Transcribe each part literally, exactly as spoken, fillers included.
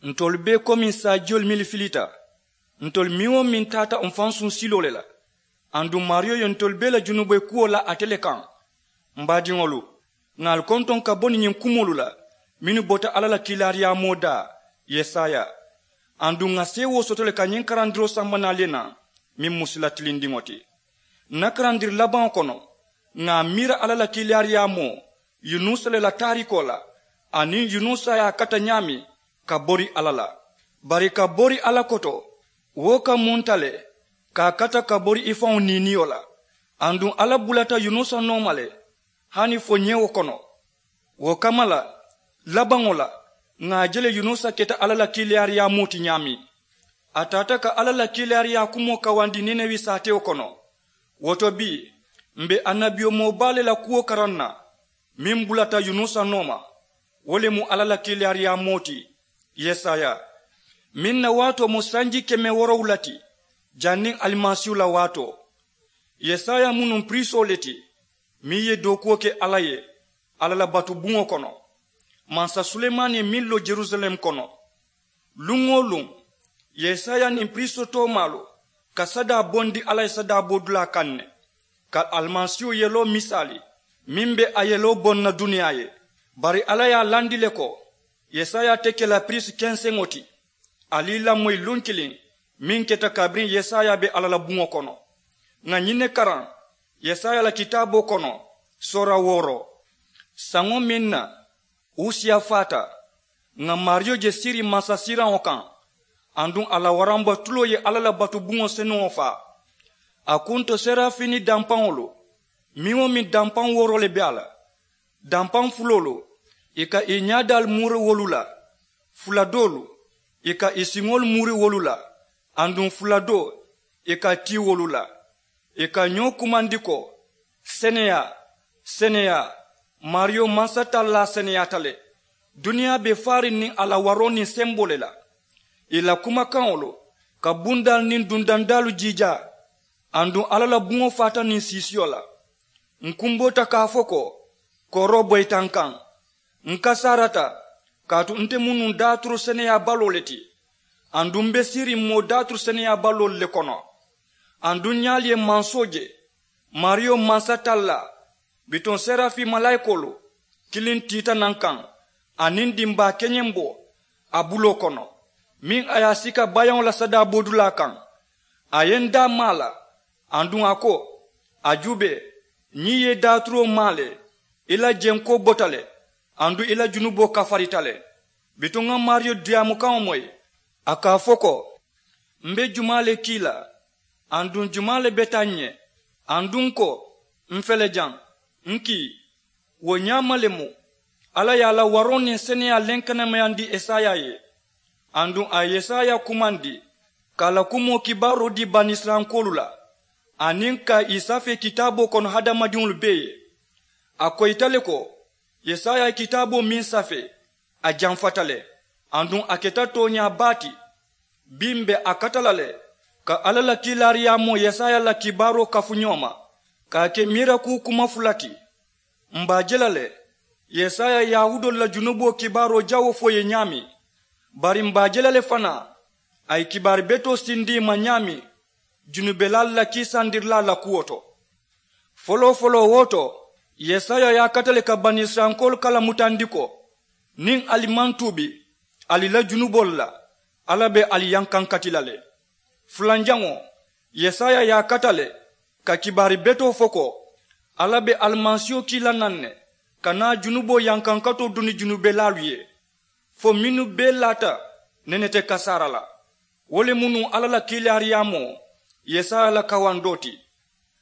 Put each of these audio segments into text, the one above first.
Ntolu bee komiŋ saajiyolu mennu filita, ntolu meŋ-wo-meŋ taata m̀ fansuŋ siloo le la. Aduŋ maariyo ye ntolu bee la junubee kuwo laa ate le kaŋ. M̀ baadiŋolu, ŋà ali kontoŋ ka bo niŋ ñiŋ kumoolu la mennu bota alla la kiilaariyaamoo daa, yesaya. Aduŋ ŋà seewoo soto le ka ñiŋ karandiroo samba naali ye naa, meŋ mu sila tilindiŋo ti. Ǹ na karandiri labaŋo kono, ŋà a miira alla la kiilaariyaamoo yunusa le la taariikoo la, aniŋ yunusa ye a kata ñaameŋ ka bori alla la. Bari ka bori alla koto, wo ka munta le ka a kata ka bori i faŋo niiniyo la. Aduŋ alla bulata yunusa nooma le, hani fo ñewo kono. Wo kamma la, labaŋo la, ŋà a je le yunusa keta alla la kiilaariyaamoo ti ñaameŋ. A taata ka alla la kiilaariyaa kumoo kawandi ninewe saatewo kono. Wo to bii, m̀ be annabiyomoo baa le la kuwo karaŋ na, meŋ bulata yunusa nooma. Wo le mu alla la kiilaariyaamoo ti, yesaya. Meŋ na waatoo mu sanji keme woorowula ti, janniŋ alimasiihu la waatoo. Yesaya mu nuŋ piriisoo le ti, meŋ ye dookuwo ke alla ye, alla la batu buŋo kono, mansa sulemaani ye meŋ loŋ jerusalem kono. Luŋ-wo-luŋ, yesaya niŋ piriisoo toomaalu ka sadaa bondi alla ye sadaa boodulaa kaŋ ne, ka alimasiihu yeloo misaali, meŋ be a yeloo boŋ na duniyaa ye. Bari alla ye a landi le ko, yesaya te ke la piriisi kenseŋo ti. Ali i lamoyi luŋ kiliŋ, meŋ keta kabiriŋ yesaya be alla la buŋo kono. Ŋà ñiŋ ne karaŋ yesaya la kitaaboo kono, soora wooro. Saŋo meŋ na usiya faata, ŋà maariyo je siiriŋ mansasiiraŋo kaŋ, aduŋ a la waramba tuloo ye alla la batu buŋo senuŋo faa. A kunto serafiini dampaŋolu, meŋ-wo-meŋ dampaŋ wooro le be a la. Dampaŋ fuloolu, ì ka ì ñaadaalu muuri wolu la. Fula doolu, ì ka ì siŋolu muuri wolu la. Aduŋ fula doo, ì ka tii wolu la. Ì ka ñoo kumandi ko, seneyaa, seneyaa, maariyo mansatallaa seneyaata le. Duniyaa be faariŋ niŋ a la waroo niŋ semboo le la. Ì la kumakaŋolu ka bundaalu niŋ dundandaalu jiijaa. Aduŋ alla la buŋo faata niŋ siisiyo la. Ǹ kumboota ka a fo ko, kooroo boyita n kaŋ. Ǹ kasaarata, kaatu nte mu nuŋ daaturu seneyaabaloo le ti. Aduŋ m̀ be siiriŋ moo daaturu seneyaabaloo le kono. Aduŋ ñaalu ye mansoo je, maariyo mansatallaa, bituŋ serafii malaayikoolu, kiliŋ tiita naŋ kaŋ, aniŋ dimbaa keñembo a buloo kono, meŋ a ye a sika bayaŋo la sadaa boodulaa kaŋ. A ye n daa maa la, aduŋ a ko, a juubee, ñiŋ ye i daaturoo maa le, i la jenkoo bota le, aduŋ i la junuboo kafarita le. Bituŋ ŋa maariyo diyaamukaŋo moyi, a ka a fo ko, m be jumaa le kii la? Aduŋ jumaa le beta ǹ ye? Aduŋ ko, m fele jaŋ, n kii. Wo ñaama le mu alla ye a la waroo niŋ seneyaa lenkenemayandi esaya ye. Aduŋ a ye esaya kumandi ka a la kumoo kibaaroo dii banisirayilankoolu la, aniŋ ka ì safee kitaaboo kono hadamadiŋolu bee ye. A koyita le ko, yesaya ye kitaaboo meŋ safee, a jamfata le, aduŋ a keta tooñaa baa ti. Bii m̀ be a kata la le ka alla la kiilaariyaamoo yesaya la kibaaroo kafu ñoo ma, ka a ke miirakuu kuma fula ti. M̀ be a je la le, yesaya ye yahuudoolu la junuboo kibaaroo jawoo fo ì ye ñaameŋ. Bari m̀ be a je la le fanaa, a ye kibaari betoo sindi ì ma ñaameŋ junubelaalu la kiisandirilaa la kuwo to. Foloo-foloo wo to, yesaya ye a kata le ka banisirayilankoolu kalamutandi ko, niŋ ali maŋ tuubi, ali la junuboolu la, alla be ali yankankati la le. Fulanjaŋo, yesaya ye a kata le ka kibaari betoo fo ko, alla be alimasiiho kii la naŋ ne ka naa junuboo yankankatoo duni junubelaalu ye, fo mennu bee laata nene te kasaara la. Wo le mu nuŋ alla la kiilaariyaamoo yesaya la kawandoo ti.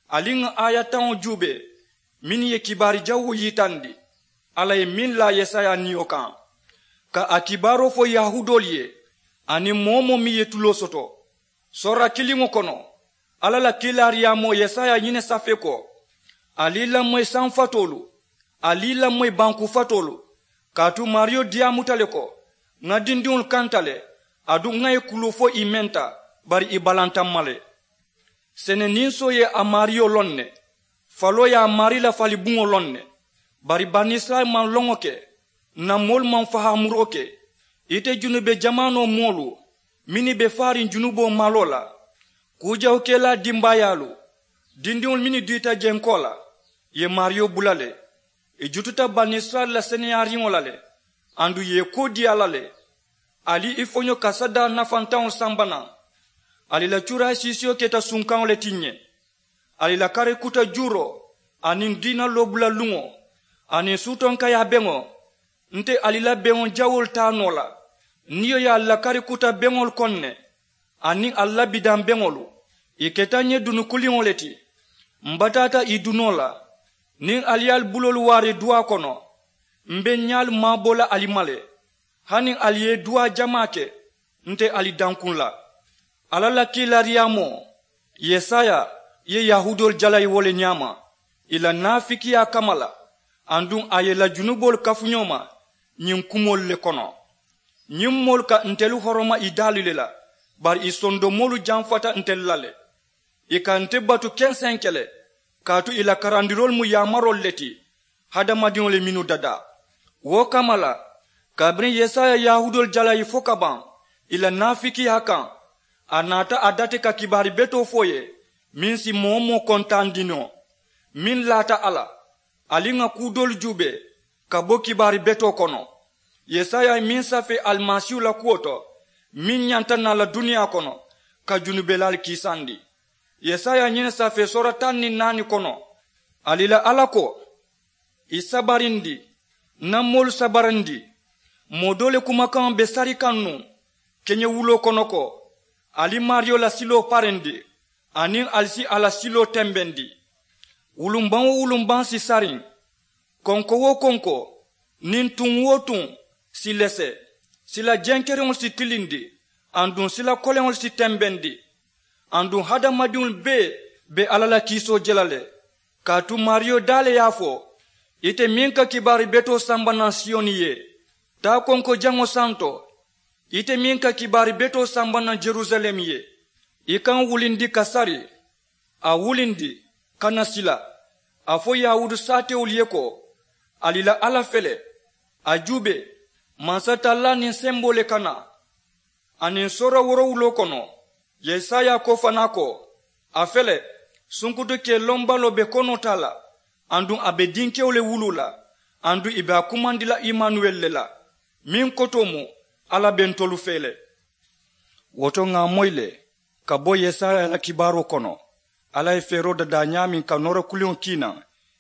Ali ŋa aaya taŋo juubee, mennu ye kibaari jawoo yitandi alla ye meŋ laa yesaya niyo kaŋ, ka a kibaaroo fo yahuudoolu ye, aniŋ moo-wo-moo meŋ ye tuloo soto. Soora kiliŋo kono, alla la kiilaariyaamoo yesaya ye ñiŋ ne safee ko, ali i lamoyi saŋ fatoolu, ali i lamoyi banku fatoolu. Kaatu maariyo diyaamuta le ko, ŋa dindiŋolu kanta le, aduŋ ŋa ì kuluu fo ì menta, bari ì balanta m̀ ma le. Seneninsoo ye a maariyo loŋ ne, faloo ye a maarii la falibuŋo loŋ ne. Bari banisirayila maŋ loŋo ke, ǹ na moolu maŋ fahaamuroo ke, Ite junube jamaanoo moolu mennu be faariŋ junuboo maloo la, kuu jawukelaa dimbaayaalu, dindiŋolu mennu diita jenkoo la, ì ye maariyo bula le. Ì jututa banisirayila la seneyaariŋo la le, aduŋ ì ye ì koo dii a la le. Ali i foño ka sadaa nafantaŋolu samba naŋ. Ali la cuuraa siisiyo keta sunkaŋo le ti ǹ ye. Ali la karikuta juuroo aniŋ diina loobula luŋo aniŋ suutonkayaa beŋo, nte ali la beŋo jawoolu taa noo la. Niyo ye ali la karikuta beŋolu koŋ ne aniŋ ali la bidaŋ beŋolu, ì keta ǹ ye dunu kuliŋo le ti. M bataata ì dunoo la niŋ ali ye ali buloolu waari duwaa kono. M be ǹ ñaalu maaboo la ali ma le. Hani ali ye duwaa jamaa ke, nte ali dankuŋ la. Alla la kiilaariyaamoo yesaya ye yahuudoolu jalayi wo le ñaama, ì la naafikiyaa kamma la, aduŋ a ye ì la junuboolu kafu ñoo ma ñiŋ kumoolu le kono. Ñiŋ moolu ka ntelu horoma ì daalu le la, bari ì sondomoolu jamfata ntelu la le. Ì ka nte batu kenseŋ ke le, kaatu ì la karandiroolu mu yaamaroolu le ti, hadamadiŋo le mennu dadaa. Wo kamma la, kabiriŋ yesaya ye yahuudoolu jalayi fo ka baŋ ì la naafikiyaa kaŋ, a naata a dati ka kibaari betoo fo ì ye, meŋ si moo-wo-moo kontaandi noo. Meŋ laata a la, ali ŋà kuu doolu juubee ka bo kibaari betoo kono. Yesaya ye meŋ safee alimasiihu la kuwo to, meŋ ñanta naa la duniyaa kono ka junubelaalu kiisandi. Yesaya ñiŋ ne safee soora taŋ niŋ naani kono, ali la alla ko, ì sabarindi, ǹ na moolu sabarindi. Moo doo le kumakaŋo be sari kaŋ nuŋ keñewuloo kono ko, ali maariyo la siloo parindi, aniŋ ali si a la siloo tembendi. Wulumbaŋ-wo-wulumbaŋ si sariŋ, konko-wo-konko niŋ tuŋ-wo-tuŋ si lese. Sila jenkeriŋolu si tilindi, aduŋ sila koleŋolu si tembendi. Aduŋ hadamadiŋolu bee be alla la kiisoo je la le. Kaatu maariyo daa le ye a fo, ite meŋ ka kibaari betoo samba naŋ siyoni ye, taa konko jaŋo santo, ite meŋ ka kibaari betoo samba naŋ jerusalem ye, i ka ǹ wulindi ka sari. A wulindi ka na sila, a fo yahuudu saatewolu ye ko, ali la alla fele, a juubee, mansa tallaa niŋ semboo le ka naa. Aniŋ soora woorowuloo kono, yesaya ko fanaa ko, a fele, sunkutu kee lombaloo be konoo taa la, aduŋ a be dinkewo le wuluu la, aduŋ ì be a kumandi la imanuweli le la, meŋ kotoo mu, alla be ntolu fee le. Wo to ŋà a moyi le, ka bo yesaya la kibaaroo kono, alla ye feeroo dadaa ñaameŋ ka noora kuliŋo kii naŋ,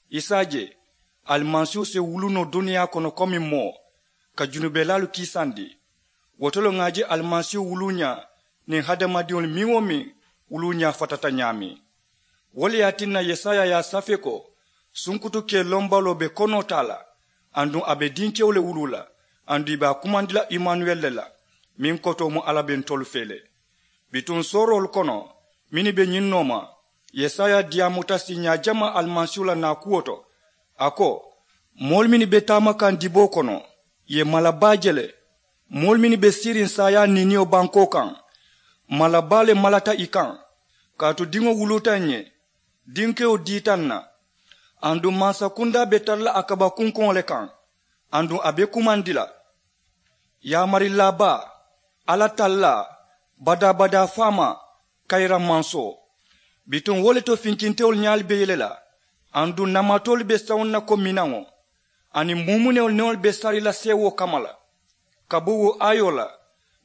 i si a je alimasiihu si wuluu noo duniyaa kono komi moo, ka junubelaalu kiisandi. Wo to le ŋà a je alimasiihu wuluuñaa niŋ hadamadiŋolu meŋ-wo-meŋ wuluuñaa fatata ñaameŋ. Wo le ye a tinna yesaya ye a safee ko, sunkutu kee lombaloo be konoo taa la, aduŋ a be dinkewo le wuluu la, aduŋ ì be a kumandi la imanuweli le la, meŋ kotoo mu alla be ntolu fee le. Bituŋ sooroolu kono mennu be ñiŋ nooma, yesaya diyaamuta siiñaa jamaa alimasiihu la naakuwo to. A ko, moolu mennu be taama kaŋ diboo kono, ì ye mala baa je le. Moolu mennu be siiriŋ saayaa niiniyo bankoo kaŋ, mala baa le malata ì kaŋ. Kaatu diŋo wuluuta ǹ ye, dinkewo diita ǹ na. Aduŋ mansakundaa be tara la a kaba kunkoŋo le kaŋ, aduŋ a be kumandi la. Yaamarilaa baa, alla tallaa, badaa-badaa faamaa, kayira mansoo. Bituŋ wo le to finkintewolu ñaalu be yele la, aduŋ namatoolu be sawuŋ na ko minaŋo, aniŋ muumunewolu newolu be sari la seewoo kamma la. Ka bo wo aayoo la,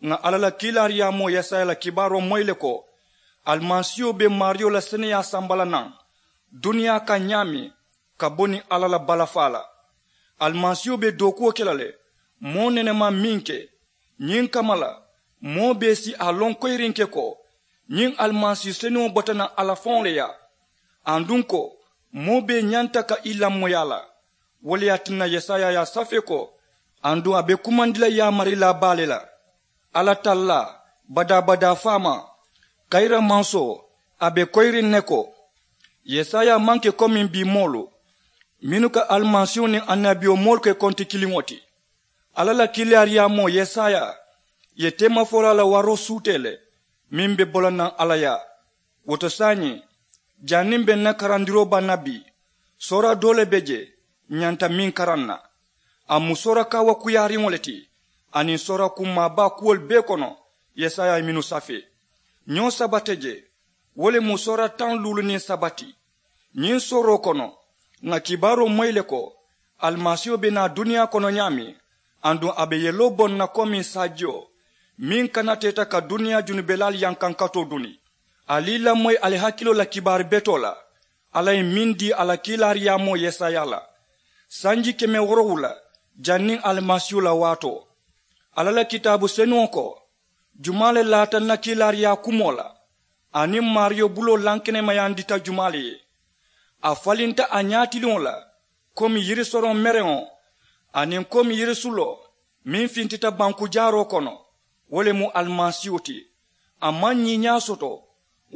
ŋà alla la kiilaariyaamoo yesaya la kibaaroo moyi le ko, alimasiiho be maariyo la seneyaa samba la naŋ duniyaa kaŋ ñaameŋ, ka bo niŋ alla la balafaa la. Alimasiiho be dookuwo ke la le, moo nene maŋ meŋ ke. Ñiŋ kamma la, moo bee si a loŋ koyirinke ko, ñiŋ alimasi senuŋo bota naŋ alla faŋo le yaa, aduŋ ko moo bee ñanta ka i lamoyi a la. Wo le ye a tinna yesaya ye a safee ko, aduŋ a be kumandi la yaamarilaa baa le la, alla tallaa, badaa-badaa faamaa, kayira mansoo, a be koyiriŋ ne ko. Yesaya maŋ ke komiŋ bii moolu mennu ka alimasiihu niŋ annabiyomoolu ke konti kiliŋo ti. Alla la kiilaariyaamoo yesaya ye teemafolaa la waroo suutee le, meŋ be bo la naŋ alla yaa. Wo to saayiŋ, janniŋ be ǹ na karandiroo baŋ na bii, soora doo le be jee ǹ ñanta meŋ karaŋ na. A mu soora kaawakuyaariŋo le ti, aniŋ soora kummaabaa kuwolu bee kono yesaya ye mennu safee. Ñoo saba te je, wo le mu soora taŋ luulu niŋ saba ti. Ñiŋ sooroo kono, ŋà kibaaroo moyi le ko alimasiiho be naa duniyaa kono ñaameŋ, aduŋ a be yeloo boŋ na komiŋ saajiyo meŋ kanateeta ka duniyaa junubelaalu yankankatoo duni. Ali i lamoyi ali hakiloo la kibaari betoo la alla ye meŋ dii a la kiilaariyaamoo yesaya la sanji keme woorowula janniŋ alimasiihu la waatoo. Alla la kitaabu senuŋo ko, jumaa le laata n na kiilaariyaa kumoo la, aniŋ maariyo buloo lankenemayandita jumaa le ye? A falinta a ñaatiliŋo la komi yirisoroŋ mereŋo, aniŋ komi yirisuloo meŋ fintita bankujaaroo kono, wo le mu alimasiihu ti. A maŋ ñiiñaa soto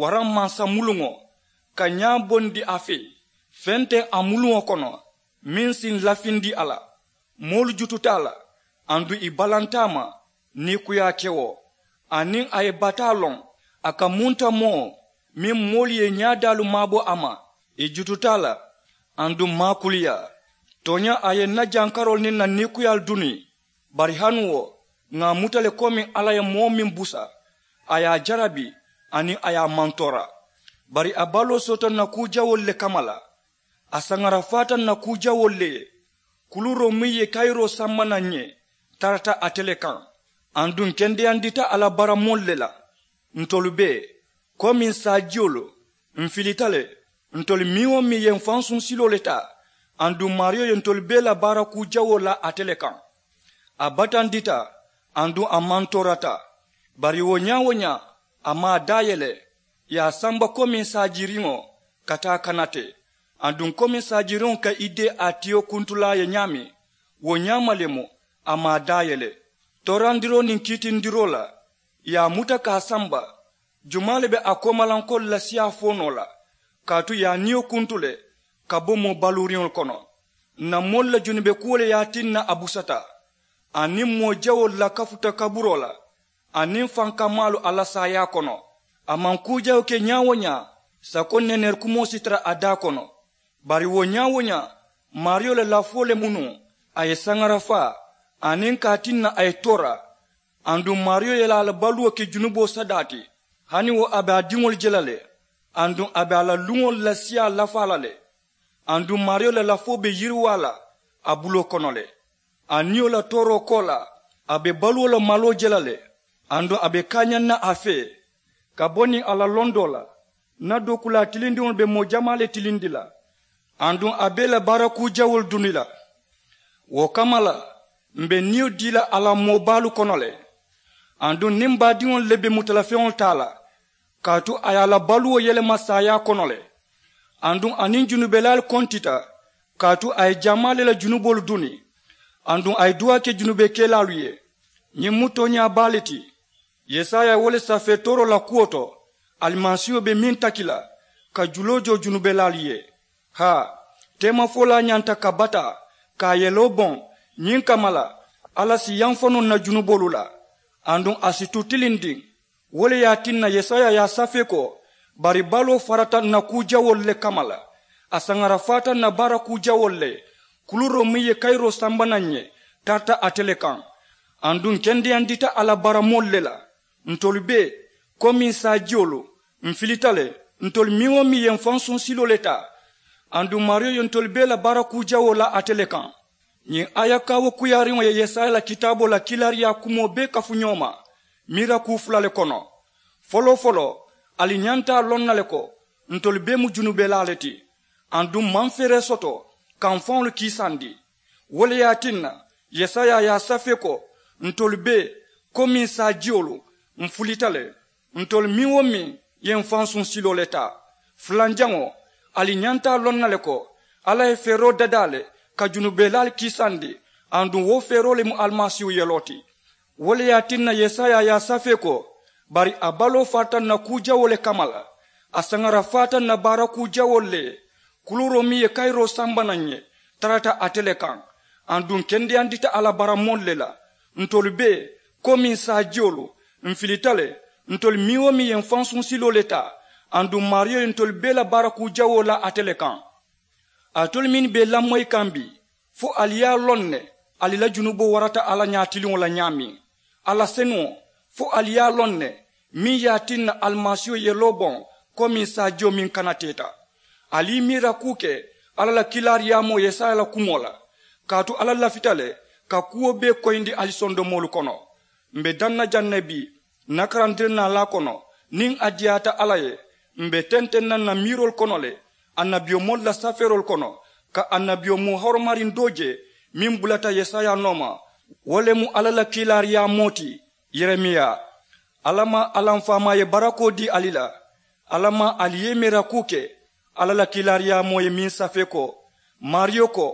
waraŋ mansa muluŋo ka ñaa bondi a fee. Feŋ te a muluŋo kono meŋ si n lafindi a la. Moolu jututa a la, aduŋ ì balanta a ma niikuyaa kewo, aniŋ a ye bataa loŋ a ka munta moo meŋ moolu ye ñaadaalu maabo a ma. Ì jututa a la, aduŋ maakuliyaa. Tooñaa a ye n na jankaroolu niŋ n na niikuyaalu duni. Bari hani wo, ŋà a muta le komi alla ye moo meŋ busa, a ye a jarabi, aniŋ a ye a mantoora. Bari a baloo soota n na kuu jawoolu le kamma la. A saŋarafaata n na kuu jawoolu le ye. Kuluuroo meŋ ye kayiroo samba naŋ n ye, tarata ate le kaŋ. Aduŋ n kendeyandita a la baaramoolu le la. Ntolu bee, komi n saajiyolu, n filita le. Ntolu meŋ-wo-meŋ ye n fansuŋ siloo le taa, aduŋ maariyo ye ntolu bee la baara kuu jawoo la ate le kaŋ. A batandita, aduŋ a mantoorata. Bari wo ñaa-wo-ñaa, a maŋ a daayele, ì ye a samba komi saajiriŋo ka taa kanate. Aduŋ komi saajiriŋo ka i dee a tiyo kuntulaa ye ñaameŋ, wo ñaama le mu a maŋ a daayele. Toorandiroo niŋ kiitindiroo la, ì ye a muta ka a samba. Jumaa le be a koomalankoolu la siyaa fo noo la? Kaatu ì ye a niyo kuntu le ka bo moo baluuriŋolu kono. N na moolu la junube kuwo le ye a tinna a busata, aniŋ moo jawoolu la kafuta kaburoo la, aniŋ fankamaalu alla saayaa kono. A maŋ kuu jawoo ke ñaa-wo-ñaa, sako neeneeri kumoo si tara a daa kono. Bari wo ñaa-wo-ñaa, maariyo la lafoo le mu nuŋ a ye saŋara faa, aniŋ ka a tinna a ye toora. Aduŋ maariyo ye a la baluwo ke junuboo sadaa ti. Hani wo a be a diŋolu je la le, aduŋ a be a la luŋolu la siyaa lafaa la le. Aduŋ maariyo la lafoo be yiriwaa la a buloo kono le. A niyo la tooroo koolaa, a be baluwo la maloo je la le. Aduŋ a be kaañaŋ na a fee ka bo niŋ a la londoo la. N na dookulaa tilindiŋolu be moo jamaa le tilindi la, aduŋ a be ì la baara kuu jawoolu duni la. Wo kamma la, m̀ be niyo dii la a la moo baalu kono le. Aduŋ niŋ baadiŋolu le be mutalafeŋolu taa la, kaatu a ye a la baluwo yelema saayaa kono le. Aduŋ a niŋ junubelaalu kontita, kaatu a ye jamaa le la junuboolu duni. Aduŋ a ye duwaa ke junubekelaalu ye. Ñiŋ mu tooñaa baa le ti. Yesaya ye wo le safee tooroo la kuwo to, alimasiiho be meŋ taki la ka juloo joo junubelaalu ye. Haa, teemafolaa ñanta ka bataa ka a yeloo boŋ. Ñiŋ kamma la, alla si yamfa noo n na junuboolu la, aduŋ a si tu tilindiŋ. Wo le ye a tinna yesaya ye a safee ko, bari baloo farata n na kuu jawoolu le kamma la. A saŋara faata n na baara kuu jawoolu le. Kuluuroo meŋ ye kayiroo samba naŋ n ye, tarata ate le kaŋ. Aduŋ n kendeyandita a la baaramoolu le la. Ntolu bee, komi n saajiyolu, n filita le. Ntolu meŋ-wo-meŋ ye n fansuŋ siloo le taa, aduŋ maariyo ye ntolu bee la baara kuu jawoo la ate le kaŋ. Ñiŋ aaya kaawo kuyaariŋo ye yesaya la kitaaboo la kiilaariyaa kumoo bee kafu ñoo ma miira kuu fula le kono. Foloo-foloo, ali ñanta a loŋ na le ko ntolu bee mu junubelaa le ti, aduŋ maŋ feeree soto ka m̀ faŋolu kiisandi. Wo le ye a tinna yesaya ye a safee ko, ntolu bee, komi n saajiyolu, m̀ fulita le. Ntolu meŋ-wo-meŋ ye m̀ fansuŋ siloo le taa. Fulanjaŋo, ali ñanta a loŋ na le ko alla ye feeroo dadaa le ka junubelaalu kiisandi, aduŋ wo feeroo le mu alimasiihu yeloo ti. Wo le ye a tinna yesaya ye a safee ko, bari a baloo faata n na kuu jawoo le kamma la. A saŋara faata n na baara kuu jawoolu le ye. Kuluuroo meŋ ye kayiroo samba naŋ n ye, tarata ate le kaŋ. Aduŋ n kendeyandita a la baaramoolu le la. Ntolu bee, komi n saajiyolu, m̀ filita le. Ntolu meŋ-wo-meŋ ye m̀ fansuŋ siloo le taa, aduŋ maariyo ye ntolu bee la baara kuu jawoo la ate le kaŋ. Alitolu mennu be ì lamoyi kaŋ bii, fo ali ye a loŋ ne Ali la junuboo warata alla ñaatiliŋo la ñaameŋ. Alla senuŋo, fo ali ye a loŋ ne meŋ ye a tinna alimasiiho ye loo boŋ komiŋ saajiyo meŋ kanateeta. Ali ye miira kuu ke alla la kiilaariyaamoo yesaya la kumoo la. Kaatu alla lafita le ka kuwo bee koyindi ali sondomoolu kono. M̀ be daŋ na jaŋ ne bii ǹ na karandirinaalaa kono, niŋ a diyaata alla ye m̀ be tenteŋ na ǹ na miiroolu kono le annabiyomoolu la safeeroolu kono, ka annabiyomoo horomariŋ doo je meŋ bulata yesaya nooma. Wo le mu alla la kiilaariyaamoo ti yeremiya. Alla maŋ alanfaamaa ye barakoo dii ali la. Alla maŋ ali ye i meera kuu ke alla la kiilaariyaamoo ye meŋ safee ko, maariyo ko,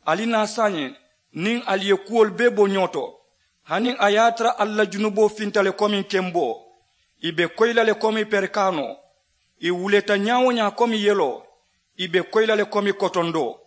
ali naa saayiŋ niŋ ali ye kuwolu bee bo ñoo to. Haniŋ a ye a tara ali la junuboo finta le komiŋ kemboo, ì be koyi la le komiŋ perikaanoo, ì wuleeta ñaa-wo-ñaa komiŋ yeloo, ì be koyi la le komiŋ kotondoo.